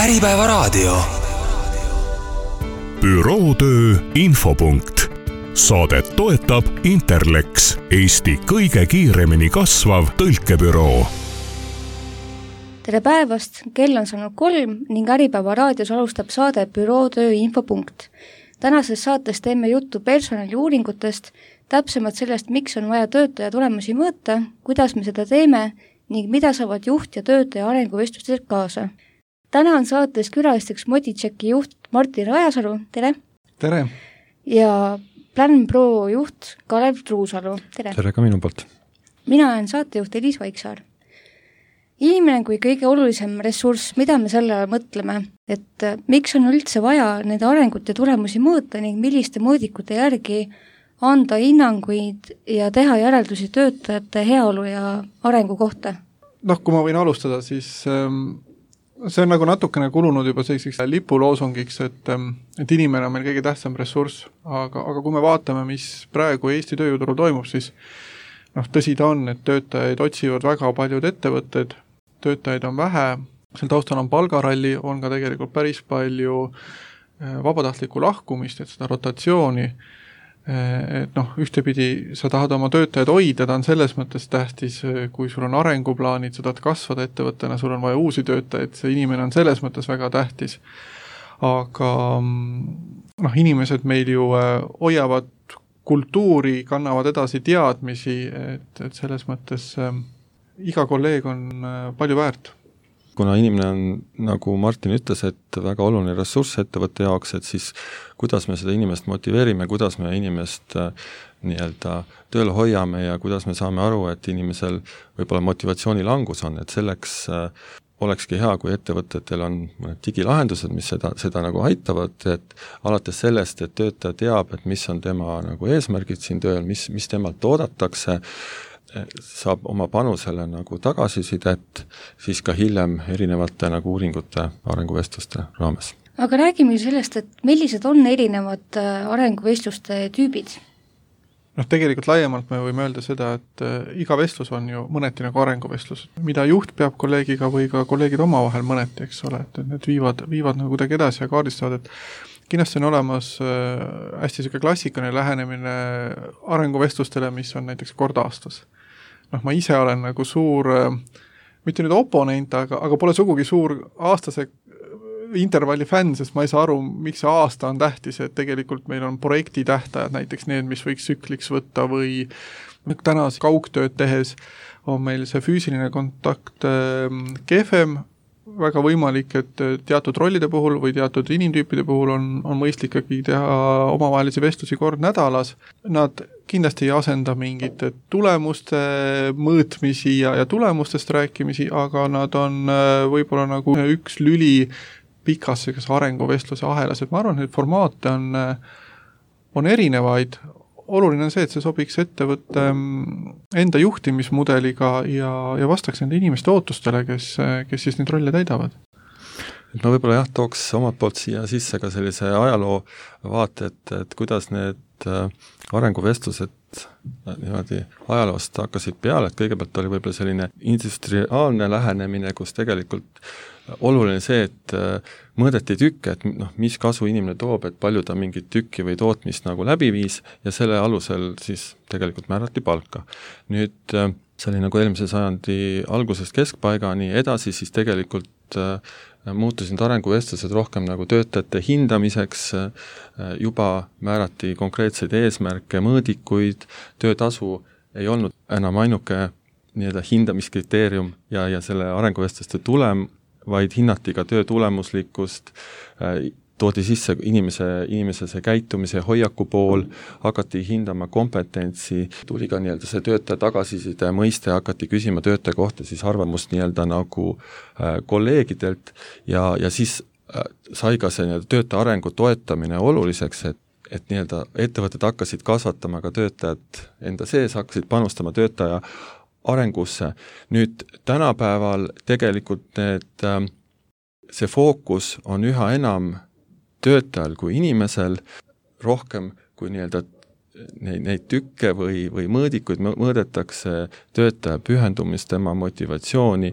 Äripäevaraadio. Bürootöö infopunkt. Saadet toetab Interlex, Eesti kõige kiiremini kasvav tõlkebüroo. Tere päevast, kell on saanud 3 ning Äripäeva raadios alustab saade Bürootöö infopunkt. Tänases saates teeme juttu personaliuuringutest, täpsemalt sellest, miks on vaja töötaja tulemusi mõõta, kuidas me seda teeme ning mida saavad juht ja töötaja arenguvestlustelt kaasa. Täna on saates külalisteks Moditšeki juht Martin Rajasalu, tere! Tere! Ja PlanPro juht Kalev Truusalu, tere! Tere ka minu poolt! Mina olen saatejuht Elis Vaiksaar. Inimene kui kõige olulisem ressurss, mida me selle mõtleme, et miks on üldse vaja need arengut ja tulemusi mõõta ning milliste mõõdikute järgi anda hinnanguid ja teha järeldusi töötajate heaolu ja arengu kohta? Kui ma võin alustada, siis see on nagu natukene kulunud juba selliseks lipuloosungiks, et inimene on meil kõige tähtsam ressurss, aga kui me vaatame, mis praegu Eesti tööjõuturul toimub, siis tõsi ta on, et töötajaid otsivad väga paljud ettevõtted, töötajaid on vähe, seal taustal on palgaralli, on ka tegelikult päris palju vabatahtlikku lahkumist, et seda rotatsiooni, et ühtepidi sa tahad oma töötajad hoida, ta on selles mõttes tähtis, kui sul on arenguplaanid, sa tahad kasvada ettevõttena, sul on vaja uusi töötajaid, see inimene on selles mõttes väga tähtis. Aga inimesed meil ju hoiavad kultuuri, kannavad edasi teadmisi, et selles mõttes iga kolleeg on palju väärt. Kuna inimene on, nagu Martin ütles, et väga oluline ressurss ettevõtte jaoks, et siis kuidas me seda inimest motiveerime, kuidas me inimest tööle hoiame ja kuidas me saame aru, et inimesel võib-olla motivatsiooni langus on, et selleks olekski hea, kui ettevõtetel on digilahendused, mis seda nagu aitavad, et alates sellest, et töötaja teab, et mis on tema nagu eesmärgid siin tööl, mis temalt oodatakse, saab oma panusele nagu tagasisidet, siis ka hiljem erinevate nagu uuringute arenguvestluste raames. Aga räägime sellest, et millised on erinevad arenguvestluste tüübid? Tegelikult laiemalt me võime öelda seda, et iga vestlus on ju mõneti nagu arenguvestlus, mida juht peab kolleegiga või ka kolleegid omavahel mõneti, eks ole, et need viivad nagu kuidagi edasi ja kaardistavad, et kindlasti on olemas hästi selline klassikaline lähenemine arenguvestlustele, mis on näiteks kord aastas. Ma ise olen nagu suur, mitte nüüd oponent, aga pole sugugi suur aastase intervalli fänn, sest ma ei saa aru, miks see aasta on tähtis, et tegelikult meil on projekti tähtajad, näiteks need, mis võiks tsükliks võtta või täna kaugtööd tehes on meil see füüsiline kontakt kehvem, väga võimalik, et teatud rollide puhul või teatud inimtüüpide puhul on mõistlik ikkagi teha omavahelisi vestlusi kord nädalas. Nad kindlasti ei asenda mingite tulemuste mõõtmisi ja tulemustest rääkimisi, aga nad on võib-olla nagu üks lüli pikas arenguvestluse ahelas, et ma arvan, et formaate on erinevaid. Oluline on see, et see sobiks ettevõtte enda juhtimismudeliga ja vastaks nende inimeste ootustele, kes siis neid rolle täidavad. Ma võib-olla tooks omalt poolt siia sisse ka sellise ajaloo vaate, et kuidas need arenguvestlused niimoodi ajaloost hakkasid peale, et kõigepealt oli võib-olla selline industriaalne lähenemine, kus tegelikult oluline see, et mõõdeti tükke, et mis kasu inimene toob, et palju ta mingit tükki või tootmist nagu läbi viis ja selle alusel siis tegelikult määrati palka. Nüüd see oli nagu eelmise sajandi algusest keskpaigani edasi, siis tegelikult muutusid arenguvestlused rohkem nagu töötajate hindamiseks, juba määrati konkreetseid eesmärke, mõõdikuid, töötasu ei olnud enam ainuke hindamiskriteerium ja selle arenguvestluste tulem, vaid hinnati ka töö tulemuslikkust, toodi sisse inimese see käitumise hoiaku pool, hakati hindama kompetentsi, tuli ka see töötaja tagasiside mõiste, hakati küsima töötaja kohta siis arvamust nagu kolleegidelt ja siis sai ka see töötaja arengu toetamine oluliseks, et ettevõtted hakkasid kasvatama ka töötajad enda sees, hakkasid panustama töötaja arengusse. Nüüd tänapäeval tegelikult see fookus on üha enam töötajal kui inimesel, rohkem kui neid tükke või mõõdikuid mõõdetakse töötaja pühendumist, tema motivatsiooni,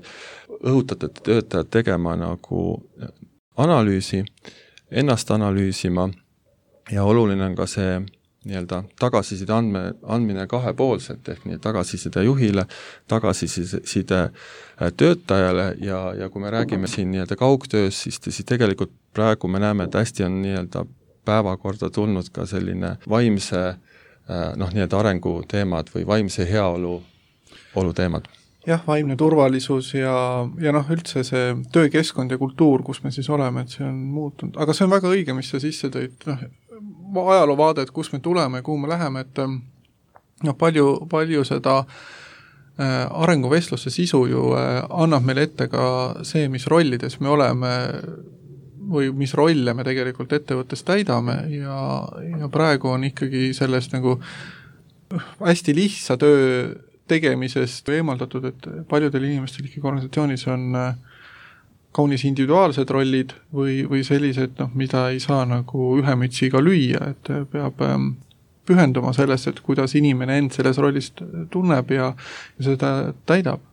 õhutate töötajad tegema nagu analüüsi, ennast analüüsima ja oluline on ka see nii-öelda tagasiside andmine kahepoolselt ehk nii tagasiside juhile, tagasiside töötajale ja kui me räägime siin nii-öelda kaugtöös, siis tegelikult praegu me näeme, et hästi on nii-öelda päevakorda tulnud ka selline vaimse nii-öelda arengu teemad või vaimse heaolu teemad. Jah, vaimne turvalisus ja üldse see töökeskkond ja kultuur, kus me siis oleme, et see on muutunud. Aga see on väga õige, mis sa sisse tõid, ajaloovaade, et kus me tuleme, kuhu me läheme, et palju seda arenguvestluste sisu ju annab meile ette ka see, mis rollides me oleme või mis rolle me tegelikult ettevõttes täidame ja praegu on ikkagi sellest nagu hästi lihtsa töö tegemisest eemaldatud, et paljudel inimestel ikkagi organisatsioonis on kaunis individuaalsed rollid või sellised, mida ei saa nagu ühe mütsiga lüüa, et peab pühenduma sellest, et kuidas inimene end selles rollis tunneb ja seda täidab.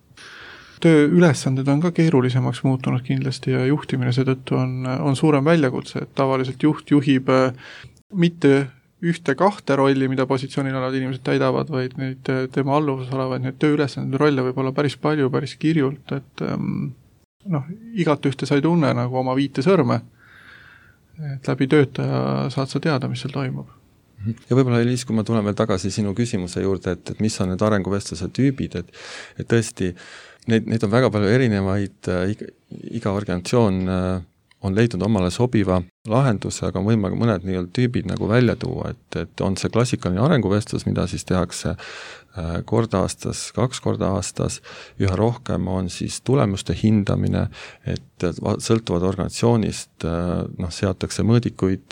Tööülesanded on ka keerulisemaks muutunud kindlasti ja juhtimine seetõttu on suurem väljakutse, et tavaliselt juht juhib mitte ühte-kahte rolli, mida positsioonil olevad inimesed täidavad, vaid neid tema alluvuses olevaid neid tööülesanded rolle võib olla päris palju, päris kirjult, et igat ühte sa ei tunne nagu oma 5 sõrme, et läbi töötaja saad sa teada, mis seal toimub. Ja võib-olla Eliis, kui ma tulen veel tagasi sinu küsimuse juurde, et mis on need arenguvestluse tüübid, et tõesti neid on väga palju erinevaid, iga organisatsioon on leidnud omale sobiva lahenduse, aga on võimalik mõned nii-öelda tüübid nagu välja tuua, et on see klassikaline arenguvestlus, mida siis tehakse kord aastas, 2 korda aastas, üha rohkem on siis tulemuste hindamine, et sõltuvad organisatsioonist seatakse mõõdikuid,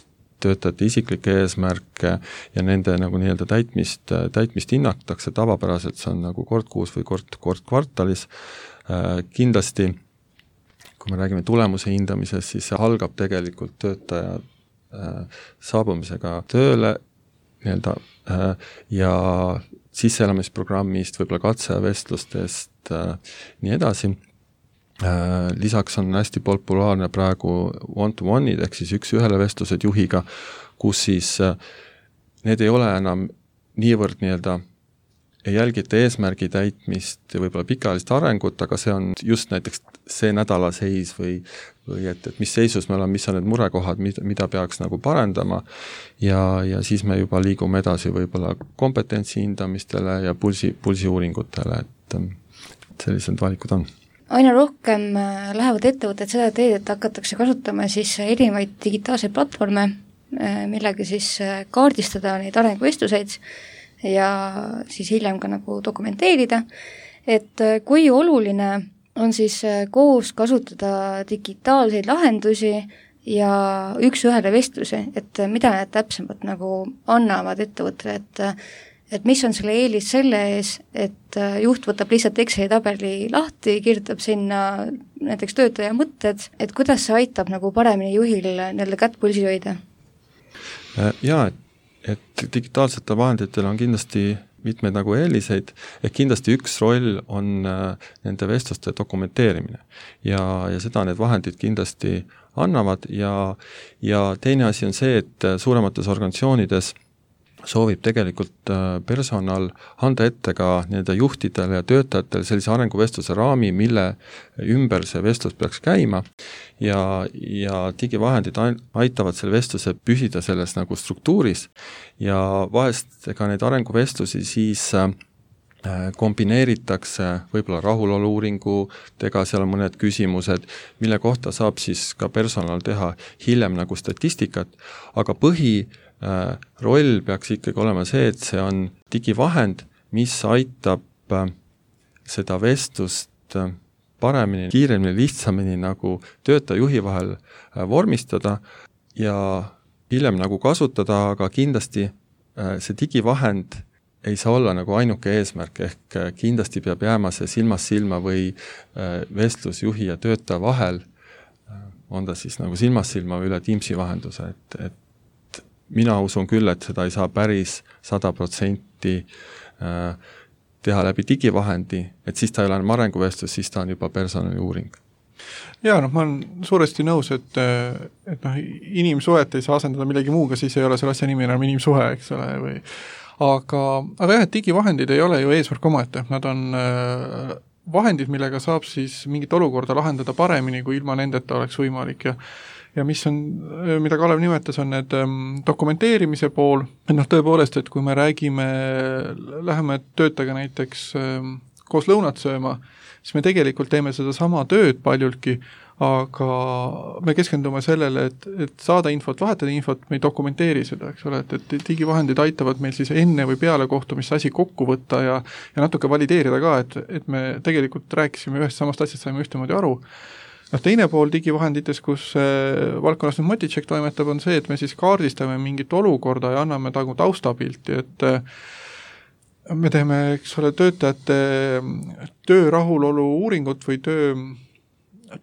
töötajate isiklikke eesmärke ja nende nagu nii-öelda täitmist hinnatakse, tavapäraselt see on nagu kord kuus või kord kvartalis. Kindlasti, kui me räägime tulemuse hindamisest, siis see algab tegelikult töötaja saabumisega tööle nii-öelda ja sisseelamisprogrammist, võib-olla katsevestlustest, nii edasi. Lisaks on hästi populaarne praegu one-to-one'id ehk siis 1-1 vestlused juhiga, kus siis need ei ole enam niivõrd nii-öelda ei jälgita eesmärgi täitmist ja võib-olla pikaajalist arengut, aga see on just näiteks see nädala seis või et mis seisus me oleme, mis on need murekohad, mida peaks nagu parendama ja siis me juba liigume edasi võib-olla kompetentsi hindamistele ja pulsi uuringutele, et sellised valikud on. Aina rohkem lähevad ettevõtted seda teed, et hakatakse kasutama siis erinevaid digitaalseid platvorme, millega siis kaardistada neid arenguvestluseid ja siis hiljem ka nagu dokumenteerida, et kui oluline on siis koos kasutada digitaalseid lahendusi ja 1-1 vestlusi, et mida need täpsemalt nagu annavad ettevõttele, et mis on selle eelis selle ees, et juht võtab lihtsalt Exceli tabeli lahti, kirjutab sinna näiteks töötaja mõtted, et kuidas see aitab nagu paremini juhil nende kätt pulsi hoida? Jaa, et digitaalsetel vahenditel on kindlasti mitmeid nagu eeliseid, et kindlasti üks roll on nende vestluste dokumenteerimine ja seda need vahendid kindlasti annavad ja teine asi on see, et suuremates organisatsioonides soovib tegelikult personal anda ette ka nende juhtidele ja töötajatele sellise arenguvestluse raami, mille ümber see vestlus peaks käima ja digivahendid aitavad selle vestluse püsida selles nagu struktuuris ja vahest ka neid arenguvestlusi siis kombineeritakse võib-olla rahulolu-uuringutega, seal on mõned küsimused, mille kohta saab siis ka personal teha hiljem nagu statistikat, aga roll peaks ikkagi olema see, et see on digivahend, mis aitab seda vestlust paremini, kiiremini, lihtsamini nagu töötaja juhi vahel vormistada ja hiljem nagu kasutada, aga kindlasti see digivahend ei saa olla nagu ainuke eesmärk, ehk kindlasti peab jääma see silmast silma või vestlusjuhi ja töötaja vahel, on ta siis nagu silmast silma või üle Teamsi vahenduse, et mina usun küll, et seda ei saa päris 100% teha läbi digivahendi, et siis ta ei ole enam arenguvestlus, siis ta on juba personali uuring. Jaa, noh, ma olen suuresti nõus, et noh, inimsuhet ei saa asendada millegi muuga, siis ei ole selle asja nimi enam inimsuhe, eks ole, või aga jah, et digivahendid ei ole ju eesmärk omaette, nad on vahendid, millega saab siis mingit olukorda lahendada paremini, kui ilma nendeta oleks võimalik ja mis on, mida Kalev nimetas, on need dokumenteerimise pool, et noh, tõepoolest, et kui me räägime, läheme töötajaga näiteks koos lõunat sööma, siis me tegelikult teeme seda sama tööd paljultki, aga me keskendume sellele, et saada infot, vahetada infot, me ei dokumenteeri seda, eks ole, et digivahendid aitavad meil siis enne või peale kohtumist asi kokku võtta ja natuke valideerida ka, et me tegelikult rääkisime ühest samast asjast, saime ühtemoodi aru. Noh, teine pool digivahendites, kus valdkonnas nüüd Motitšek toimetab, on see, et me siis kaardistame mingit olukorda ja anname tagu taustapilti, et me teeme, eks ole, töötajate töö rahulolu uuringut või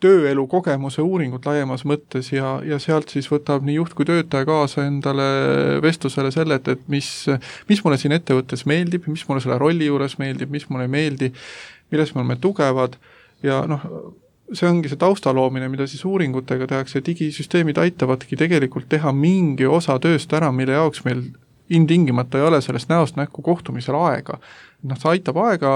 tööelu kogemuse uuringut laiemas mõttes ja sealt siis võtab nii juht kui töötaja kaasa endale vestlusele selle, et mis mulle siin ettevõttes meeldib, mis mulle selle rolli juures meeldib, mis mulle ei meeldi, milles me oleme tugevad ja noh, see ongi see taustaloomine, mida siis uuringutega tehakse, digisüsteemid aitavadki tegelikult teha mingi osa tööst ära, mille jaoks meil ilmtingimata ei ole sellest näost näkku kohtumisel aega. Noh, see aitab aega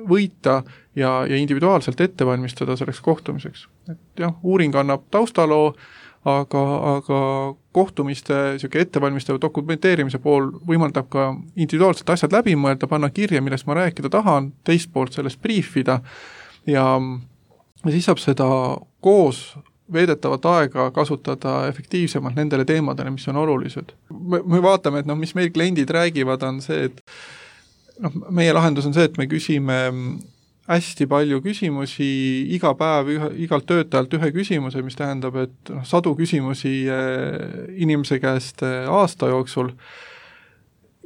võita ja individuaalselt ette valmistada selleks kohtumiseks. Et jah, uuring annab taustaloo, aga kohtumiste ettevalmistava dokumenteerimise pool võimaldab ka individuaalselt asjad läbi mõelda, panna kirja, millest ma rääkida tahan, teist poolt sellest briefida ja siis saab seda koos veedetavat aega kasutada efektiivsemalt nendele teemadele, mis on olulised. Me vaatame, et noh, mis meil kliendid räägivad, on see, et noh, meie lahendus on see, et me küsime hästi palju küsimusi iga päev igalt töötajalt ühe küsimuse, mis tähendab, et noh, 100 küsimusi inimese käest aasta jooksul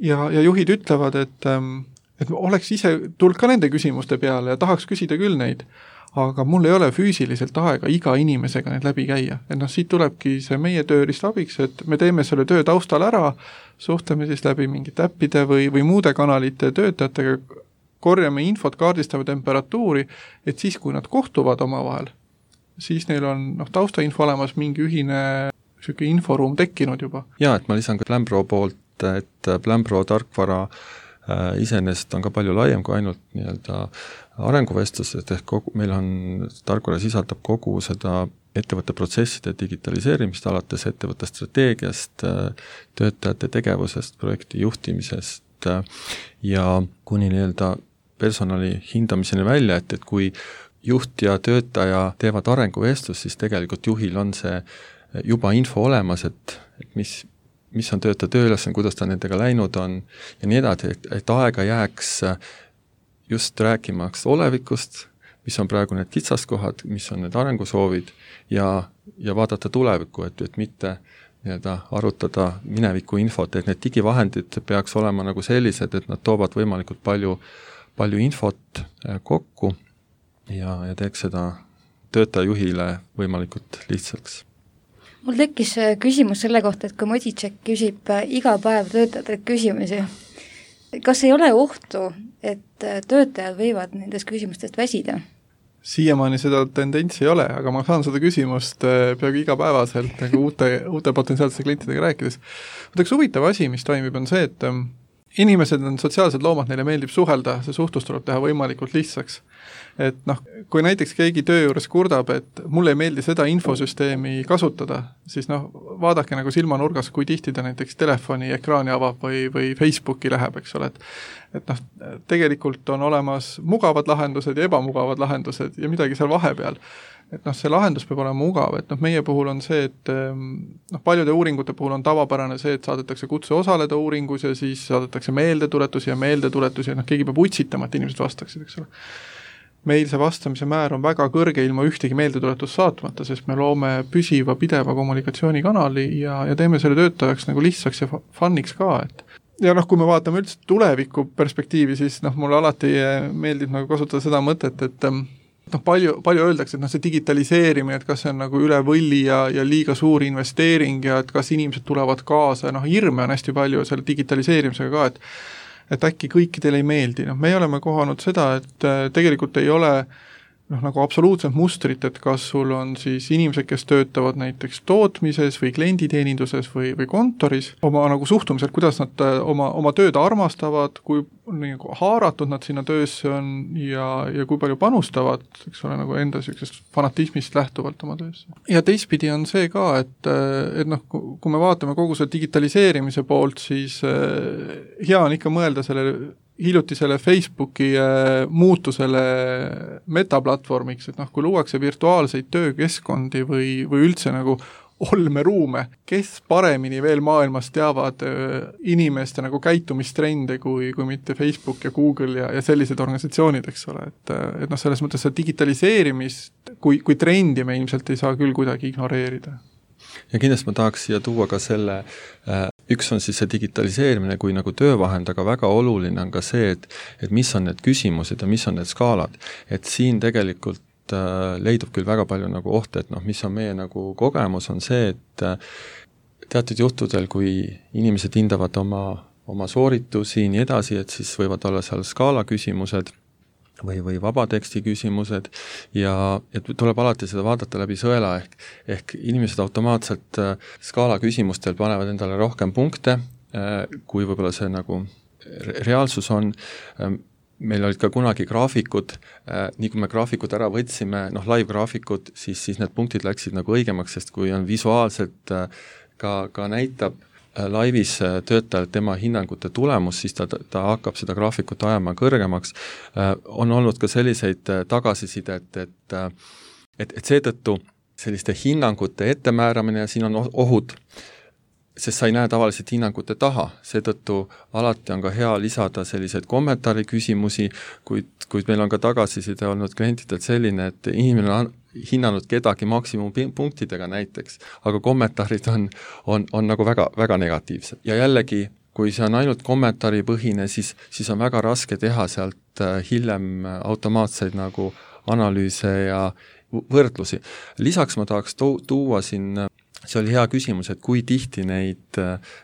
ja juhid ütlevad, et oleks ise tulnud ka nende küsimuste peale ja tahaks küsida küll neid, aga mul ei ole füüsiliselt aega iga inimesega need läbi käia. Et noh, siit tulebki see meie tööriist abiks, et me teeme selle töö taustal ära, suhtleme siis läbi mingite äppide või muude kanalite töötajatega, korjame infot, kaardistame temperatuuri, et siis, kui nad kohtuvad omavahel, siis neil on taustainfo olemas mingi ühine inforuum tekkinud juba. Jaa, et ma lisan ka Plambro poolt, et Plambro tarkvara iseenesest on ka palju laiem kui ainult nii-öelda arenguvestlused, ehk meil on tarkvara sisaldab kogu seda ettevõtte protsesside digitaliseerimist alates ettevõtte strateegiast, töötajate tegevusest, projekti juhtimisest ja kuni nii-öelda personali hindamiseni välja, et kui juht ja töötaja teevad arenguvestlus, siis tegelikult juhil on see juba info olemas, et mis on töötaja tööülesanne, kuidas ta nendega läinud on ja nii edasi, et aega jääks just rääkimaks olevikust, mis on praegu need kitsaskohad, mis on need arengusoovid ja vaadata tulevikku, et mitte nii-öelda arutada mineviku infot, et need digivahendid peaks olema nagu sellised, et nad toovad võimalikult palju infot kokku ja teeks seda töötajajuhile võimalikult lihtsaks. Mul tekkis küsimus selle kohta, et kui Motitšek küsib iga päev töötajatelt küsimusi, kas ei ole ohtu, et töötajad võivad nendest küsimustest väsida? Siiamaani seda tendentsi ei ole, aga ma saan seda küsimust peaaegu igapäevaselt nagu uute potentsiaalsete klientidega rääkides. Üks huvitav asi, mis toimib, on see, et inimesed on sotsiaalsed loomad, neile meeldib suhelda, see suhtlus tuleb teha võimalikult lihtsaks. Et noh, kui näiteks keegi töö juures kurdab, et mulle ei meeldi seda infosüsteemi kasutada, siis noh, vaadake nagu silmanurgas, kui tihti ta näiteks telefoni ekraani avab või Facebooki läheb, eks ole, et noh, tegelikult on olemas mugavad lahendused ja ebamugavad lahendused ja midagi seal vahepeal. Et noh, see lahendus peab olema mugav, et noh, meie puhul on see, et noh, paljude uuringute puhul on tavapärane see, et saadetakse kutse osaleda uuringus ja siis saadetakse meeldetuletusi ja noh, keegi peab utsitama, et inimesed vastaksid, eks ole. Meil see vastamise määr on väga kõrge ilma ühtegi meeldetuletust saatmata, sest me loome püsiva, pideva kommunikatsioonikanali ja teeme selle töötajaks nagu lihtsaks ja funniks ka, et ja noh, kui me vaatame üldse tuleviku perspektiivi, siis noh, mulle alati meeldib nagu kasutada seda mõtet, et noh, palju öeldakse, et noh, see digitaliseerimine, et kas see on nagu üle võlli ja liiga suur investeering ja et kas inimesed tulevad kaasa, noh, hirme on hästi palju selle digitaliseerimisega ka, et äkki kõikidele ei meeldi. No, me oleme kohanud seda, et tegelikult ei ole nagu absoluutselt mustrit, et kas sul on siis inimesed, kes töötavad näiteks tootmises või klienditeeninduses või kontoris, oma nagu suhtumiselt, kuidas nad oma tööd armastavad, kui nagu haaratud nad sinna töösse on ja kui palju panustavad, eks ole, nagu enda sellisest fanatismist lähtuvalt oma töösse. Ja teistpidi on see ka, et noh, kui me vaatame kogu selle digitaliseerimise poolt, siis hea on ikka mõelda hiljutisele Facebooki muutusele metaplatvormiks, et noh, kui luuakse virtuaalseid töökeskkondi või üldse nagu olmeruume, kes paremini veel maailmas teavad inimeste nagu käitumistrende kui mitte Facebook ja Google ja sellised organisatsioonid, eks ole, et noh, selles mõttes see digitaliseerimist kui trendi me ilmselt ei saa küll kuidagi ignoreerida. Ja kindlasti ma tahaks siia tuua ka selle, üks on siis see digitaliseerimine kui nagu töövahend, aga väga oluline on ka see, et mis on need küsimused ja mis on need skaalad. Et siin tegelikult leidub küll väga palju nagu ohte, et noh, mis on meie nagu kogemus, on see, et teatud juhtudel, kui inimesed hindavad oma sooritusi nii edasi, et siis võivad olla seal skaala küsimused või vabateksti küsimused ja tuleb alati seda vaadata läbi sõela, ehk inimesed automaatselt skaala küsimustel panevad endale rohkem punkte, kui võib-olla see nagu reaalsus on. Meil olid ka kunagi graafikud, nii kui me graafikud ära võtsime, noh live-graafikud, siis need punktid läksid nagu õigemaks, sest kui on visuaalselt ka näitab laivis töötajal tema hinnangute tulemus, siis ta hakkab seda graafikut ajama kõrgemaks. On olnud ka selliseid tagasisidet, et seetõttu selliste hinnangute ettemääramine ja siin on ohud, sest sa ei näe tavaliselt hinnangute taha, seetõttu alati on ka hea lisada selliseid kommentaari küsimusi, kuid meil on ka tagasiside olnud klientidelt selline, et inimene on hinnanud kedagi maksimumpunktidega näiteks, aga kommentaarid on nagu väga, väga negatiivsed. Ja jällegi, kui see on ainult kommentaaripõhine, siis on väga raske teha sealt hiljem automaatseid nagu analüüse ja võrdlusi. Lisaks ma tahaks tuua siin, see oli hea küsimus, et kui tihti neid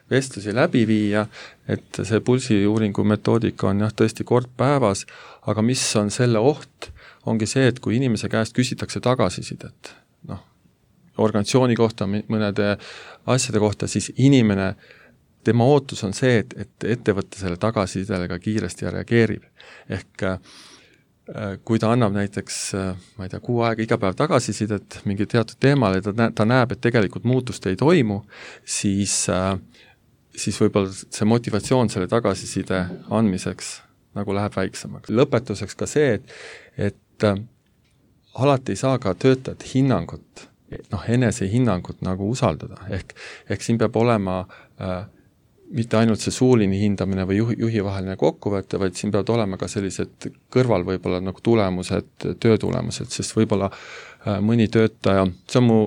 vestlusi läbi viia, et see pulsiuuringu metoodika on jah tõesti kord päevas, aga mis on selle oht, ongi see, et kui inimese käest küsitakse tagasisidet, noh, organisatsiooni kohta, mõnede asjade kohta, siis inimene, tema ootus on see, et ettevõte selle tagasisidele ka kiiresti ja reageerib. Ehk kui ta annab näiteks, ma ei tea, 6 aega iga päev tagasisidet mingi teatud teemale ja ta näeb, et tegelikult muutust ei toimu, siis võib-olla see motivatsioon selle tagasiside andmiseks nagu läheb väiksemaks. Lõpetuseks ka see, et alati ei saa ka töötajat hinnangut, noh, enese hinnangut nagu usaldada. Ehk siin peab olema mitte ainult see suuline hindamine või juhi vaheline kokkuvõte, vaid siin peavad olema ka sellised kõrval võib-olla nagu tulemused, töötulemused, sest võib-olla mõni töötaja, see on mu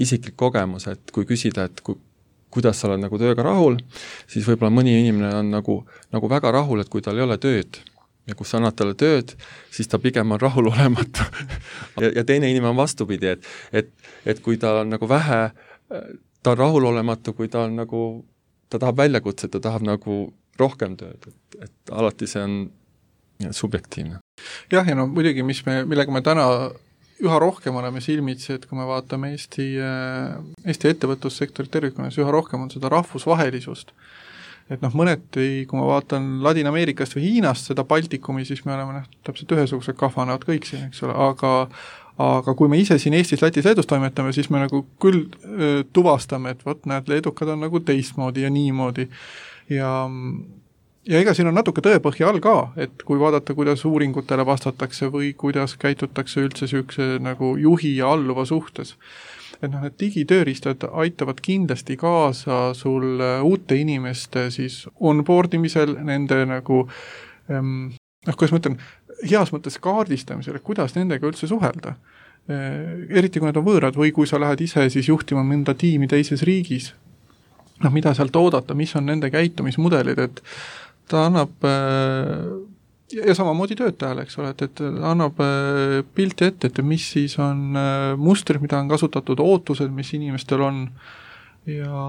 isiklik kogemus, et kui küsida, et kuidas sa oled nagu tööga rahul, siis võib-olla mõni inimene on nagu väga rahul, et kui tal ei ole tööd ja kus sa annad talle tööd, siis ta pigem on rahulolematu. ja teine inimene on vastupidi, et kui ta on nagu vähe, ta on rahulolematu, kui ta on nagu ta tahab väljakutset, ta tahab nagu rohkem tööd, et alati see on subjektiivne. Jah, ja no muidugi, millega me täna üha rohkem oleme silmitsi, et kui me vaatame Eesti ettevõtlussektori tervikuna, siis üha rohkem on seda rahvusvahelisust. Et noh, mõneti, kui ma vaatan Ladina-Ameerikast või Hiinast seda Baltikumi, siis me oleme täpselt ühesugused kahvanevad kõik siin, eks ole, aga kui me ise siin Eestis, Lätis, Leedus toimetame, siis me nagu küll tuvastame, et võt, näed, leedukad on nagu teistmoodi ja niimoodi. Ja ega siin on natuke tõepõhja all ka, et kui vaadata, kuidas uuringutele vastatakse või kuidas käitutakse üldse süükse nagu juhi ja alluva suhtes. Et noh, need digitööristad aitavad kindlasti kaasa sul uute inimeste siis onboardimisel, nende nagu kuidas ma ütlen, heas mõttes kaardistamisel, kuidas nendega üldse suhelda. Eriti kui need on võõrad või kui sa lähed ise siis juhtima mõnda tiimi teises riigis, noh, mida sealt oodata, mis on nende käitumismudelid, et ta annab ja samamoodi töötajale, eks ole, et annab pilti ette, et mis siis on mustrid, mida on kasutatud, ootused, mis inimestel on ja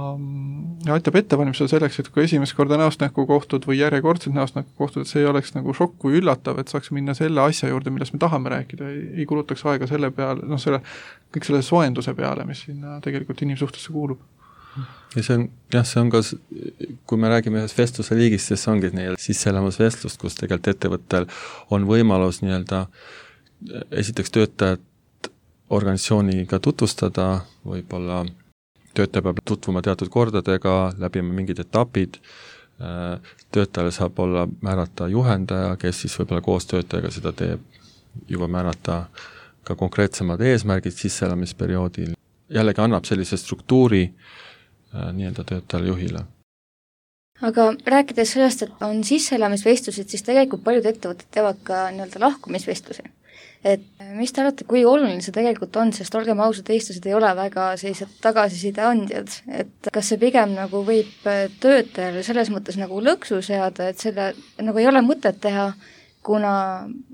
aitab ettevalmistada selleks, et kui esimest korda näost näkku kohtud või järjekordselt näost näkku kohtud, et see ei oleks nagu šokk või üllatav, et saaks minna selle asja juurde, millest me tahame rääkida, ei kulutaks aega selle peale, kõik selle soenduse peale, mis sinna tegelikult inimsuhtesse kuulub. Ja see on ka, kui me räägime ühest vestluse liigist, siis ongi sisseelamas vestlust, kus tegelikult ettevõttel on võimalus esiteks töötajat organisatsiooniga tutvustada, võib-olla töötaja peab tutvuma teatud kordadega, läbima mingid etapid, töötajale saab olla määrata juhendaja, kes siis võib-olla koos töötajaga seda teeb, juba määrata ka konkreetsemad eesmärgid sisseelamisperioodil. Jällegi annab sellise struktuuri töötajale juhile. Aga rääkides sellest, et on sisseelamisvestlused, siis tegelikult paljud ettevõtted teevad ka lahkumisvestlusi. Et mis te arvate, kui oluline see tegelikult on, sest olgem ausad, eestlased ei ole väga sellised tagasiside andjad, et kas see pigem võib töötajale selles mõttes lõksu seada, et selle ei ole mõtet teha, kuna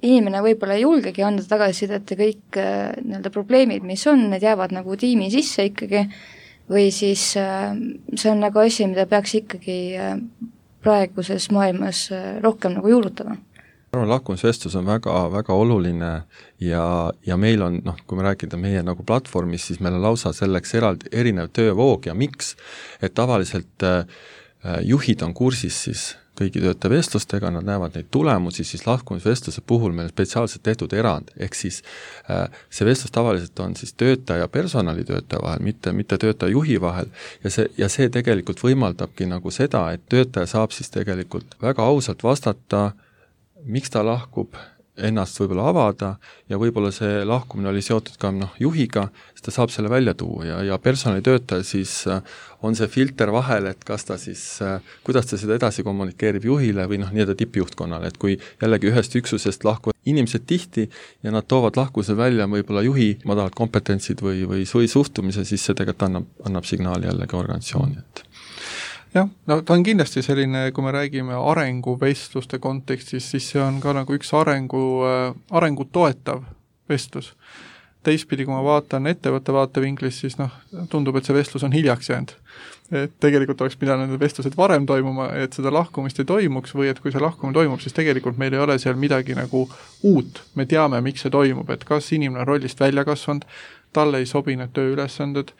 inimene võib-olla ei julgegi anda tagasisidet ja kõik probleemid, mis on, need jäävad tiimi sisse ikkagi, või siis see on asi, mida peaks ikkagi praeguses maailmas rohkem juurutama? Lahkumisvestlus on väga, väga oluline ja meil on, kui me räägime meie platvormis, siis meil on lausa selleks erinev töövoog ja miks, et tavaliselt juhid on kursis siis kõigi töötajavestlustega, nad näevad neid tulemusi, siis lahkumisvestluse puhul meil spetsiaalselt tehtud erand, ehk siis see vestlus tavaliselt on siis töötaja ja personalitöötaja vahel, mitte töötaja juhi vahel ja see tegelikult võimaldabki seda, et töötaja saab siis tegelikult väga ausalt vastata, miks ta lahkub, ennast võib-olla avada ja võib-olla see lahkumine oli seotud ka juhiga, siis ta saab selle välja tuua ja personalitöötaja siis on see filter vahel, et kas ta siis, kuidas ta seda edasi kommunikeerib juhile või tippjuhtkonnale, et kui jällegi ühest üksusest lahkuvad inimesed tihti ja nad toovad lahkuse välja võib-olla juhi madalad kompetentsid või suhtumise, siis see tegelikult annab signaali jällegi organisatsiooni, et jah, ta on kindlasti selline, kui me räägime arenguvestluste kontekstis, siis see on ka üks arengu toetav vestlus. Teistpidi, kui ma vaatan ettevõtte vaatevinklis, siis tundub, et see vestlus on hiljaks jäänud. Et tegelikult oleks pidanud need vestlused varem toimuma, et seda lahkumist ei toimuks või et kui see lahkumine toimub, siis tegelikult meil ei ole seal midagi uut. Me teame, miks see toimub, et kas inimene on rollist välja kasvanud, talle ei sobi need tööülesanded,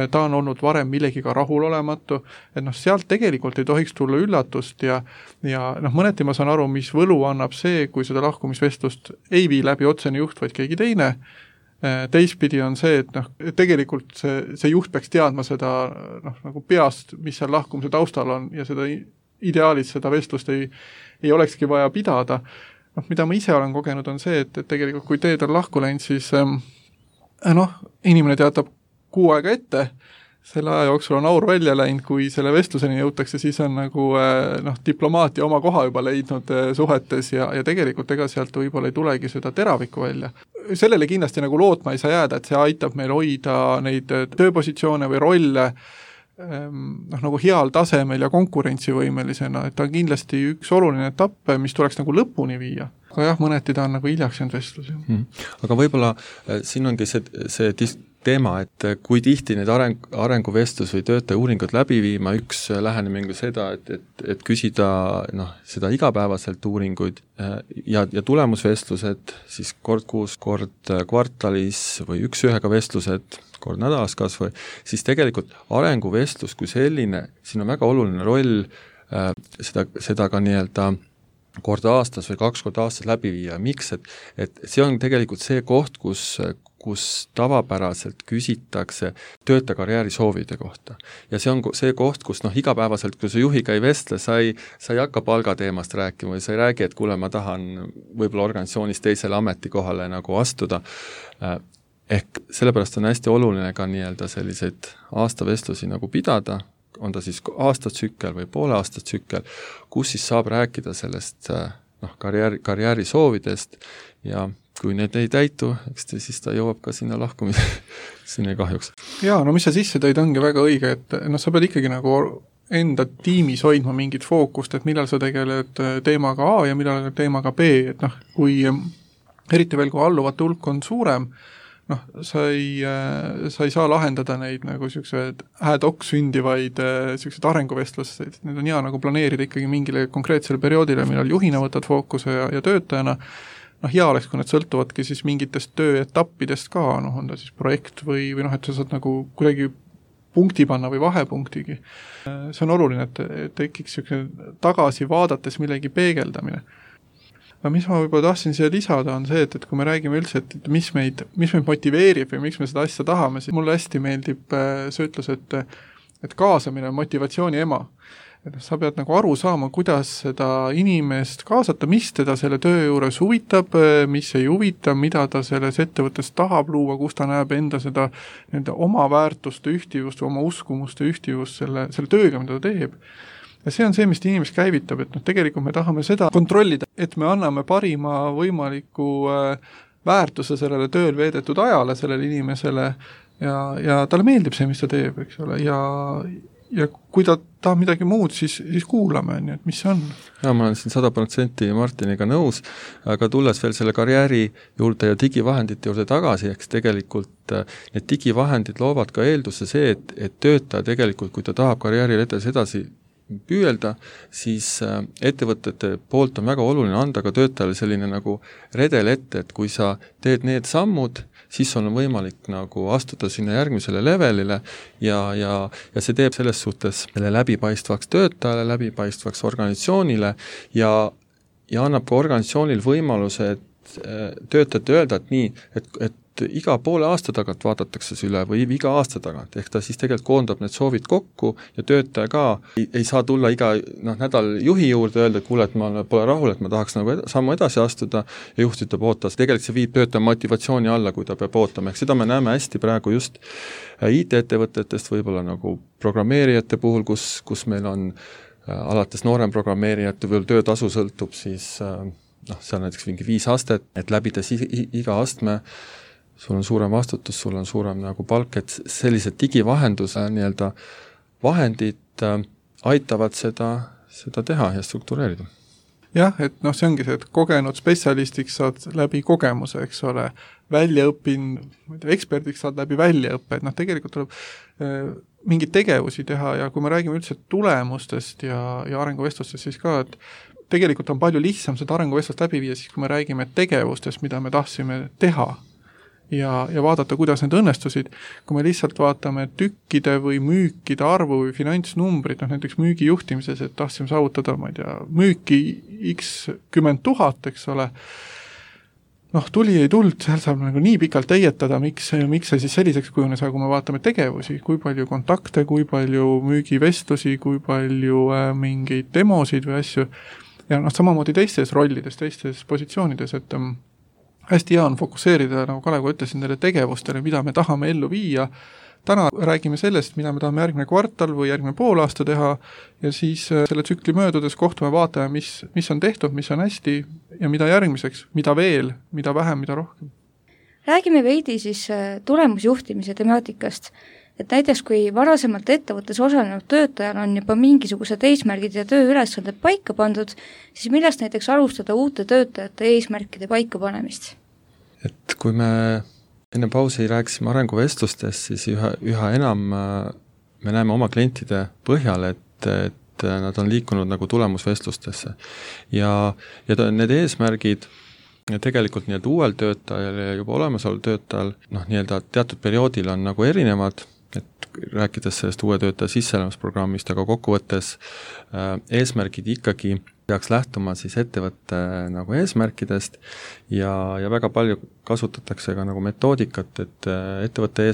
ta on olnud varem millegiga rahulolematu, et sealt tegelikult ei tohiks tulla üllatust ja mõneti ma saan aru, mis võlu annab see, kui seda lahkumisvestlust ei vii läbi otsene juht, vaid keegi teine. Teistpidi on see, et tegelikult see juht peaks teadma seda peast, mis seal lahkumise taustal on ja seda ideaalis seda vestlust ei olekski vaja pidada. Mida ma ise olen kogenud on see, et tegelikult kui teed on lahku läinud, siis inimene teatab 6 aega ette, selle aja jooksul on aur välja läinud, kui selle vestluseni jõutakse, siis on diplomaatia oma koha juba leidnud suhetes ja tegelikult ega sealt võib-olla ei tulegi seda teravikku välja. Sellele kindlasti lootma ei saa jääda, et see aitab meil hoida neid tööpositsioone või rolle heal tasemel ja konkurentsivõimelisena, et ta on kindlasti üks oluline etapp, mis tuleks lõpuni viia. Aga jah, mõneti ta on hiljaks jäänud vestlus. Aga võib-olla siin ongi see teema, et kui tihti need arenguvestlus või töötaja uuringud läbi viima, üks lähenemine seda, et küsida seda igapäevaselt uuringuid ja tulemusvestlused siis kord kuus, kord kvartalis või üks-ühega vestlused, kord nädalas kas või, siis tegelikult arenguvestlus kui selline, siin on väga oluline roll seda ka kord aastas või 2 korda aastas läbi viia. Miks? Et see on tegelikult see koht, kus tavapäraselt küsitakse töötaja karjääri soovide kohta. Ja see on see koht, kus igapäevaselt, kui sa juhiga ei vestle, sa ei hakka palgateemast rääkima või sa ei räägi, et kuule, ma tahan võib-olla organisatsioonis teisele ametikohale astuda. Ehk sellepärast on hästi oluline ka selliseid aastavestlusi pidada, on ta siis aastatsükkel või poole aastatsükkel, kus siis saab rääkida sellest karjääri soovidest ja kui need ei täitu, eks siis ta jõuab ka sinna lahkumiseni kahjuks. Jaa, mis sa sisse tõid, ongi väga õige, et sa pead ikkagi enda tiimis hoidma mingit fookust, et millal sa tegeled teemaga A ja millal teemaga B, et kui eriti veel, kui alluvate hulk on suurem, sa ei saa lahendada neid nagu sellised ad hoc sündivaid sellised arenguvestluseid, need on hea nagu planeerida ikkagi mingile konkreetsele perioodile, millal juhina võtad fookuse ja töötajana, hea oleks, kui need sõltuvadki siis mingitest tööetappidest ka, on ta siis projekt või et sa saad nagu kuidagi punkti panna või vahepunktigi. See on oluline, et tekiks tagasi vaadates millegi peegeldamine. Mis ma võib-olla tahtsin siia lisada on see, et kui me räägime üldse, et mis meid motiveerib või miks me seda asja tahame, siis mulle hästi meeldib see ütlus, et kaasamine on motivatsiooni ema. Et sa pead nagu aru saama, kuidas seda inimest kaasata, mis teda selle töö juures huvitab, mis ei huvita, mida ta selles ettevõttes tahab luua, kus ta näeb enda seda oma väärtuste ühtivust või oma uskumuste ühtivust selle tööga, mida ta teeb. Ja see on see, mis inimest käivitab, et tegelikult me tahame seda kontrollida, et me anname parima võimaliku väärtuse sellele tööl veedetud ajale, sellele inimesele ja talle meeldib see, mis ta teeb, eks ole, ja kui ta tahab midagi muud, siis kuulame, nii et mis see on. Ja ma olen siin 100% Martiniga nõus, aga tulles veel selle karjääri juurde ja digivahendite juurde tagasi, eks tegelikult need digivahendid loovad ka eelduse see, et töötaja tegelikult, kui ta tahab karjääriledes edasi püüelda, siis ettevõtete poolt on väga oluline anda ka töötajale selline nagu redel ette, et kui sa teed need sammud, siis on võimalik nagu astuda sinna järgmisele levelile ja see teeb selles suhtes selle läbipaistvaks töötajale, läbipaistvaks organisatsioonile ja annab ka organisatsioonil võimaluse, et töötajate öelda, et nii, et iga poole aasta tagant vaadatakse see üle või iga aasta tagant, ehk ta siis tegelikult koondab need soovid kokku ja töötaja ka ei saa tulla iga nädal juhi juurde öelda, et kuule, et ma pole rahul, et ma tahaks nagu sammu edasi astuda ja juht ütleb ootas. Tegelikult see viib töötaja motivatsiooni alla, kui ta peab ootama, ehk seda me näeme hästi praegu just IT-ettevõtetest, võib-olla nagu programmeerijate puhul, kus meil on alates noorem programmeerijate või töötasu sõltub, siis seal näiteks mingi 5 astet, et läbides iga astme sul on suurem vastutus, sul on suurem nagu palk, et sellised digivahenduse nii-öelda vahendid aitavad seda teha ja struktureerida. Jah, et see ongi see, et kogenud spetsialistiks saad läbi kogemuse, eks ole, eksperdiks saad läbi väljaõppe, et tegelikult tuleb mingeid tegevusi teha ja kui me räägime üldse tulemustest ja arenguvestlustest, siis ka, et tegelikult on palju lihtsam seda arenguvestlust läbi viia, siis kui me räägime tegevustest, mida me tahtsime teha ja vaadata, kuidas need õnnestusid. Kui me lihtsalt vaatame tükkide või müükide arvu või finantsnumbrid, näiteks müügijuhtimises, et tahtsime saavutada, ma ei tea, müüki x 10 000, eks ole, tuli ei tuld, seal saab nagu nii pikalt eietada, miks see siis selliseks kujunes, aga kui me vaatame tegevusi, kui palju kontakte, kui palju müügivestlusi, kui palju mingeid demosid või asju, ja samamoodi teistes rollides, teistes positsioonides, et hästi hea on fokusseerida, nagu Kalev ütlesin, neile tegevustele, mida me tahame ellu viia. Täna räägime sellest, mida me tahame järgmine kvartal või järgmine poolaasta teha ja siis selle tsükli möödudes kohtume vaatame, mis on tehtud, mis on hästi ja mida järgmiseks, mida veel, mida vähem, mida rohkem. Räägime veidi siis tulemusjuhtimise temaatikast. Et näiteks kui varasemalt ettevõttes osalenud töötajal on juba mingisugused eesmärgid ja tööülesanded paika pandud, siis millest näiteks alustada uute töötajate eesmärkide paika panemist? Et kui me enne pausi rääkisime arenguvestlustest, siis üha enam me näeme oma klientide põhjal, et nad on liikunud nagu tulemusvestlustesse. Ja need eesmärgid tegelikult nii-öelda uuel töötajal ja juba olemasoleval töötajal nii-öelda teatud perioodil on nagu erinevad, et rääkides sellest uue töötaja sisseelemusprogrammist, aga kokkuvõttes eesmärgid ikkagi peaks lähtuma siis ettevõtte nagu eesmärkidest ja väga palju kasutatakse ka nagu metoodikat, et ettevõtte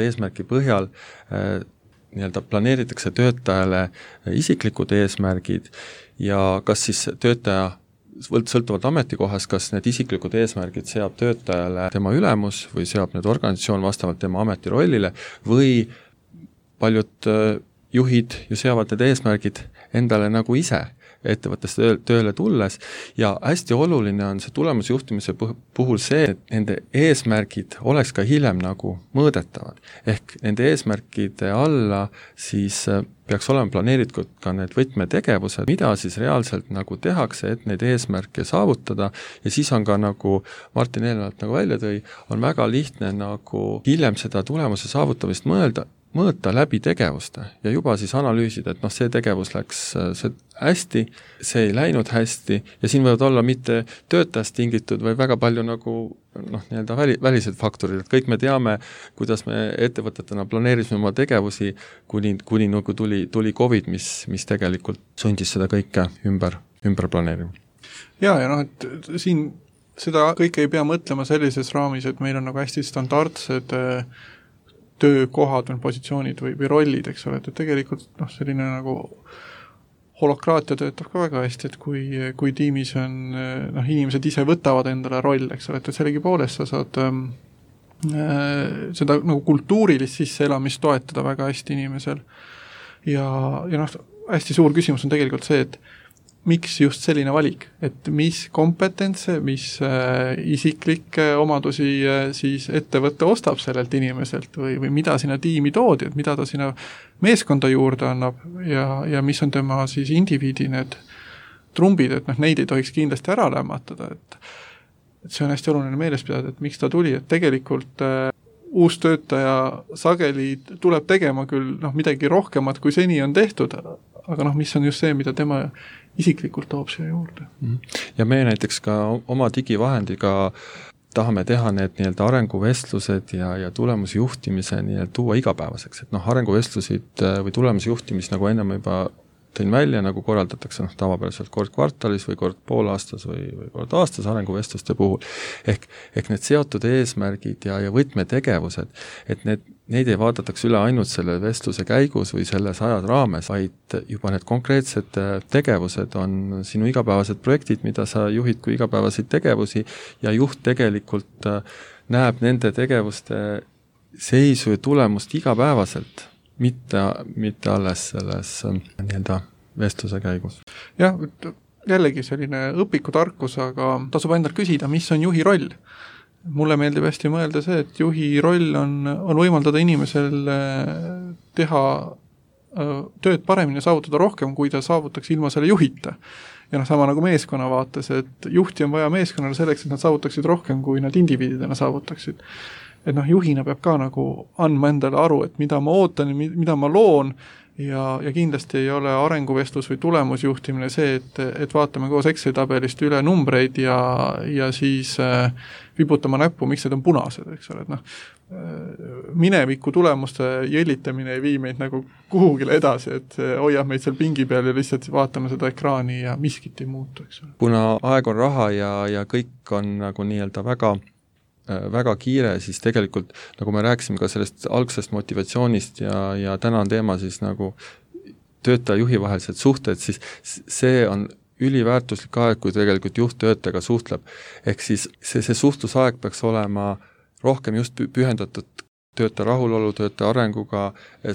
eesmärgi põhjal nii-öelda planeeritakse töötajale isiklikud eesmärgid ja kas siis töötaja sõltuvalt ametikohast, kas need isiklikud eesmärgid seab töötajale tema ülemus või seab need organisatsioon vastavalt tema ametirollile või paljud juhid ju seavad need eesmärgid endale nagu ise. ettevõttesse tööle tulles ja hästi oluline on see tulemusjuhtimise puhul see, et nende eesmärgid oleks ka hiljem nagu mõõdetavad. Ehk nende eesmärkide alla siis peaks olema planeeritud ka need võtmetegevused, mida siis reaalselt nagu tehakse, et neid eesmärke saavutada ja siis on ka nagu Martin eelnevalt nagu välja tõi, on väga lihtne nagu hiljem seda tulemuse saavutamist mõõta läbi tegevuste ja juba siis analüüsida, et see tegevus läks hästi, see ei läinud hästi ja siin võivad olla mitte töötajast tingitud või väga palju nagu nii-öelda välised faktorid, et kõik me teame, kuidas me ettevõtetena planeerisime oma tegevusi, kuni nagu tuli COVID, mis tegelikult sundis seda kõike ümber planeerima. Ja et siin seda kõike ei pea mõtlema sellises raamis, et meil on nagu hästi standardsed töökohad või positsioonid või rollid, eks ole, et tegelikult selline nagu holokraatia töötab ka väga hästi, et kui tiimis on, inimesed ise võtavad endale roll, eks ole, et sellegipoolest sa saad seda nagu kultuurilist sisseelamist toetada väga hästi inimesel. Ja hästi suur küsimus on tegelikult see, et miks just selline valik, et mis kompetentse, mis isiklikke omadusi siis ettevõtte ostab sellelt inimeselt või mida sinna tiimi toodi, et mida ta sinna meeskonda juurde annab ja mis on tema siis indiviidi need trumbid, et neid ei tohiks kindlasti ära lämmatada, et see on hästi oluline meeles pidada, et miks ta tuli, et tegelikult uus töötaja sageli tuleb tegema küll midagi rohkemat, kui seni on tehtud, aga mis on just see, mida tema isiklikult toob siia juurde. Ja me näiteks ka oma digivahendiga tahame teha need nii-öelda arenguvestlused ja tulemusjuhtimise tuua igapäevaseks, et arenguvestlusid või tulemusjuhtimist nagu ennem juba tõin välja, nagu korraldatakse tavapäraselt kord kvartalis või kord poolaastas või kord aastas arenguvestluste puhul. Ehk need seotud eesmärgid ja võtmetegevused, et neid ei vaadatakse üle ainult selle vestluse käigus või selles ajas raames, vaid juba need konkreetsed tegevused on sinu igapäevased projektid, mida sa juhid kui igapäevaseid tegevusi ja juht tegelikult näeb nende tegevuste seisu ja tulemust igapäevaselt, mitte alles selles nii-öelda vestluse käigus. Jah, jällegi selline õpikutarkus, aga tasub endalt küsida, mis on juhi roll. Mulle meeldib hästi mõelda see, et juhi roll on võimaldada inimesel teha tööd paremini ja saavutada rohkem, kui ta saavutaks ilma selle juhita. Ja sama nagu meeskonna vaates, et juhti on vaja meeskonnale selleks, et nad saavutaksid rohkem, kui nad indiviididena saavutaksid. Et juhina peab ka nagu andma endale aru, et mida ma ootan ja mida ma loon ja kindlasti ei ole arenguvestlus või tulemusjuhtimine see, et vaatame koos Exceli tabelist üle numbreid ja siis vibutama näppu, miks need on punased, eks ole, et mineviku tulemuste jõlitamine ei vii meid nagu kuhugile edasi, et hoiab meid seal pingi peal ja lihtsalt vaatame seda ekraani ja miskit ei muutu, eks ole. Kuna aeg on raha ja kõik on nagu nii-öelda väga kiire, siis tegelikult, nagu me rääkisime ka sellest algsest motivatsioonist ja täna on teema siis nagu töötaja-juhi vahelised suhted, siis see on üliväärtuslik aeg, kui tegelikult juht töötajaga suhtleb. Ehk siis see suhtlusaeg peaks olema rohkem just pühendatud töötaja rahulolu, töötaja arenguga,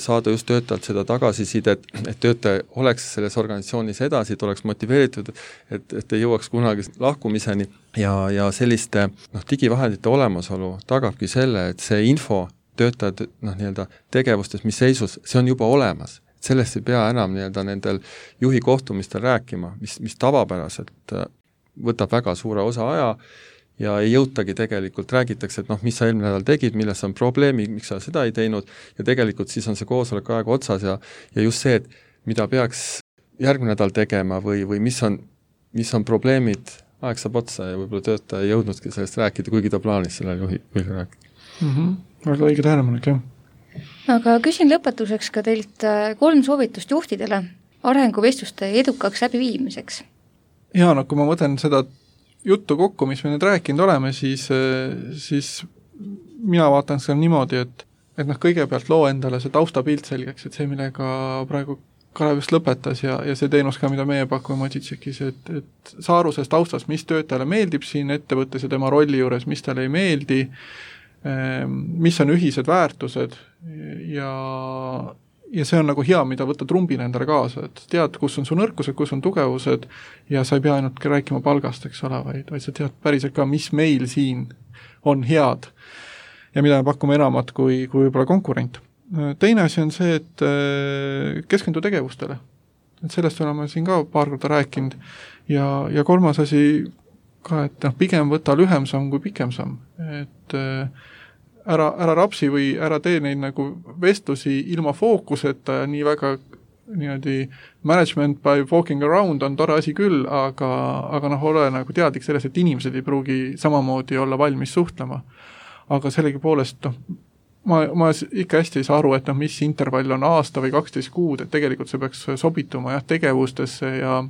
saada just töötajalt seda tagasisidet, et töötaja oleks selles organisatsioonis edasi, et oleks motiveeritud, et ei jõuaks kunagi lahkumiseni ja selliste digivahendite olemasolu tagabki selle, et see info töötajad nii-öelda tegevustes, mis seisus, see on juba olemas. Sellest ei pea enam nii-öelda nendel juhi kohtumistel rääkima, mis tavapäraselt võtab väga suure osa aja ja ei jõutagi tegelikult, räägitakse, et mis sa eelmine nädal tegid, milles on probleemi, miks sa seda ei teinud ja tegelikult siis on see koosolek aeg otsas ja just see, et mida peaks järgmine nädal tegema või mis on probleemid, aeg saab otsa ja võib-olla töötaja ei jõudnudki sellest rääkida, kuigi ta plaanis selle juhi rääkida. Väga õige tähelepanek, jah. Aga küsin lõpetuseks ka teilt 3 soovitust juhtidele arenguvestluste edukaks läbiviimiseks. Ja kui ma mõtlen seda juttu kokku, mis me nüüd rääkinud oleme, siis mina vaatan seda niimoodi, et kõigepealt loo endale see taustapilt selgeks, et see, millega praegu Kalev just lõpetas ja see teenus ka, mida meie pakume Magicekis, et saa aru sellest taustast, mis töötajale meeldib siin ettevõttes ja tema rolli juures, mis talle ei meeldi, mis on ühised väärtused ja ja see on nagu hea, mida võtta trumbina endale kaasa, et tead, kus on su nõrkused, kus on tugevused ja sa ei pea ainult rääkima palgast, eks ole, vaid sa tead päriselt ka, mis meil siin on head ja mida me pakume enamat kui võib-olla konkurent. Teine asi on see, et keskendu tegevustele. Et sellest oleme siin ka paar korda rääkinud ja kolmas asi ka, et pigem võta lühem samm kui pikem samm. Et ära rapsi või ära tee neid nagu vestlusi ilma fookuseta ja nii väga niimoodi management by walking around on tore asi küll, aga ole nagu teadlik sellest, et inimesed ei pruugi samamoodi olla valmis suhtlema. Aga sellegi poolest, ma ikka hästi ei saa aru, et mis intervall on aasta või 12 kuud, et tegelikult see peaks sobituma tegevustesse ja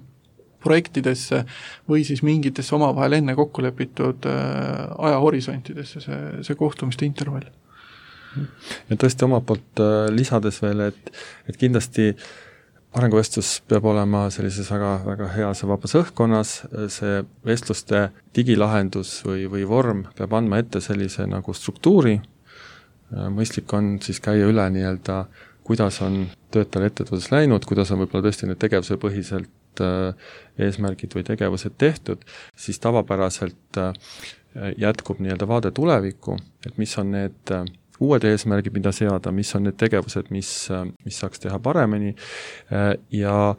projektidesse või siis mingitesse omavahel enne kokku lepitud ajahorisontidesse see kohtumiste intervall. Ja tõesti oma poolt lisades veel, et kindlasti arenguvestlus peab olema sellises väga, väga heas ja vabas õhkkonnas, see vestluste digilahendus või vorm peab andma ette sellise nagu struktuuri, mõistlik on siis käia üle nii-öelda, kuidas on töötajal ettevõttes läinud, kuidas on võib-olla tõesti need tegevuse põhiselt eesmärgid või tegevused tehtud, siis tavapäraselt jätkub nii-öelda vaade tulevikku, et mis on need uued eesmärgid, mida seada, mis on need tegevused, mis saaks teha paremini ja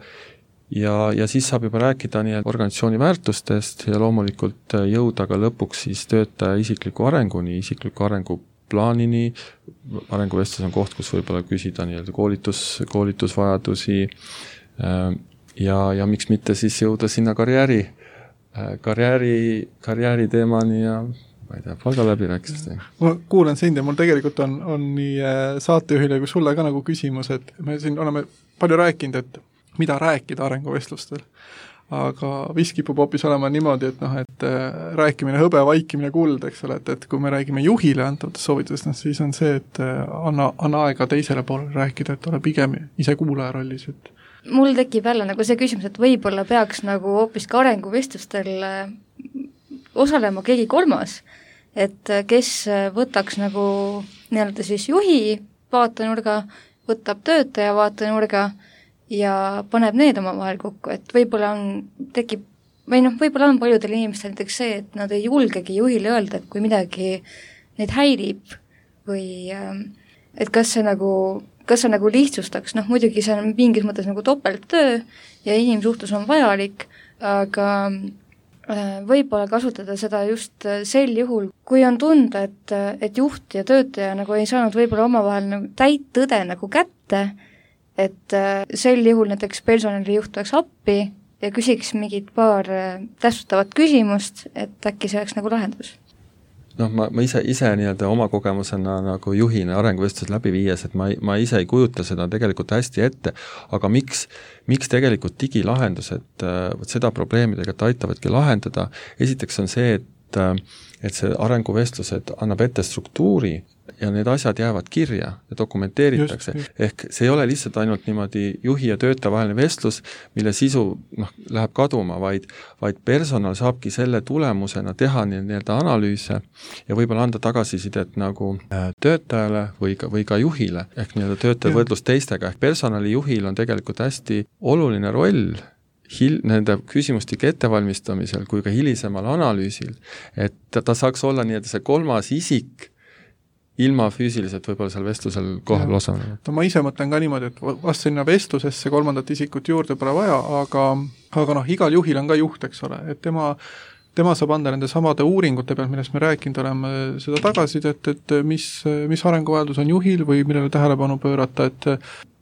siis saab juba rääkida nii-öelda organisatsiooni väärtustest ja loomulikult jõuda ka lõpuks siis töötaja isikliku arenguni, isikliku arenguplaanini, arenguvestlus on koht, kus võib-olla küsida nii-öelda koolitusvajadusi ja miks mitte siis jõuda sinna karjääri teemani ja ma ei tea, palga läbirääkimist. Ma kuulen sind ja mul tegelikult on nii saatejuhile kui sulle ka nagu küsimus, et me siin oleme palju rääkinud, et mida rääkida arenguvestlustel, aga vist kipub hoopis olema niimoodi, et rääkimine hõbe, vaikimine kuld, eks ole, et kui me räägime juhile antavatest soovitustest, siis on see, et anna aega teisele poolele rääkida, et ole pigem ise kuulaja rollis, et mul tekib jälle nagu see küsimus, et võib-olla peaks nagu hoopis ka arenguvestlustel osalema keegi kolmas, et kes võtaks nagu nii-öelda siis juhi vaatenurga, võtab töötaja vaatenurga ja paneb need omavahel kokku, et võib-olla tekib või võib-olla on paljudel inimestel näiteks see, et nad ei julgegi juhile öelda, et kui midagi neid häirib või et kas see nagu lihtsustaks, muidugi see on mingis mõttes nagu topelttöö ja inimsuhtlus on vajalik, aga võib-olla kasutada seda just sel juhul, kui on tunda, et juht ja töötaja nagu ei saanud võib-olla omavahel nagu täit tõde nagu kätte, et sel juhul näiteks personalijuht tuleks appi ja küsiks mingit paar täpsustavat küsimust, et äkki see oleks nagu lahendus. Ma ise nii-öelda oma kogemusena nagu juhina arenguvestlus läbi viies, et ma ise ei kujuta seda tegelikult hästi ette, aga miks tegelikult digilahendused seda probleemi tegelikult aitavadki lahendada, esiteks on see, et see arenguvestlused annab ette struktuuri ja need asjad jäävad kirja ja dokumenteeritakse. Ehk see ei ole lihtsalt ainult niimoodi juhi ja töötaja vaheline vestlus, mille sisu läheb kaduma, vaid personal saabki selle tulemusena teha nii-öelda analüüse ja võib-olla anda tagasisidet nagu töötajale või ka juhile, ehk nii-öelda töötaja võrdlus teistega, ehk personalijuhil on tegelikult hästi oluline roll nende küsimustike ettevalmistamisel kui ka hilisemal analüüsil, et ta saaks olla nii-öelda see kolmas isik, ilma füüsiliselt võib-olla seal vestlusel kohal osalema. Ma ise mõtlen ka niimoodi, et vast sinna vestlusesse kolmandat isikut juurde pole vaja, aga igal juhil on ka juht, eks ole, et tema saab anda nende samade uuringute pealt, millest me rääkinud oleme seda tagasisidet, et mis arenguvajadus on juhil või millele tähelepanu pöörata,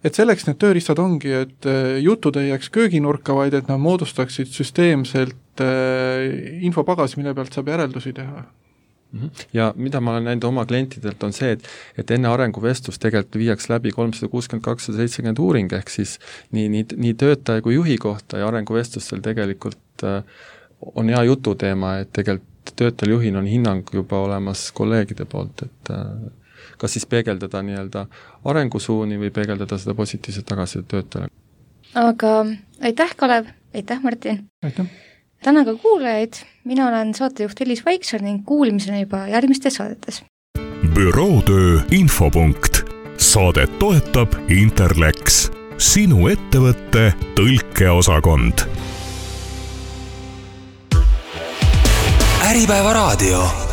et selleks need tööriistad ongi, et jutud ei jääks kööginurka, vaid et nad moodustaksid süsteemselt infopagasi, mille pealt saab järeldusi teha. Ja mida ma olen näinud oma klientidelt on see, et enne arenguvestlus tegelikult viiaks läbi 360-270 uuring, ehk siis nii töötaja kui juhi kohta ja arenguvestlustel tegelikult on hea jututeema, et tegelikult töötajal juhil on hinnang juba olemas kolleegide poolt, et kas siis peegeldada nii-öelda arengusuuni või peegeldada seda positiivset tagasisidet töötajale. Aga aitäh, Kalev, aitäh, Martin! Aitäh! Tänan ka kuulajaid, mina olen saatejuht Elis Vaiksar ning kuulmisena juba järgmistes saadetes. Bürootöö infopunkt. Saadet toetab Interlex, sinu ettevõtte tõlkeosakond. Äripäeva raadio.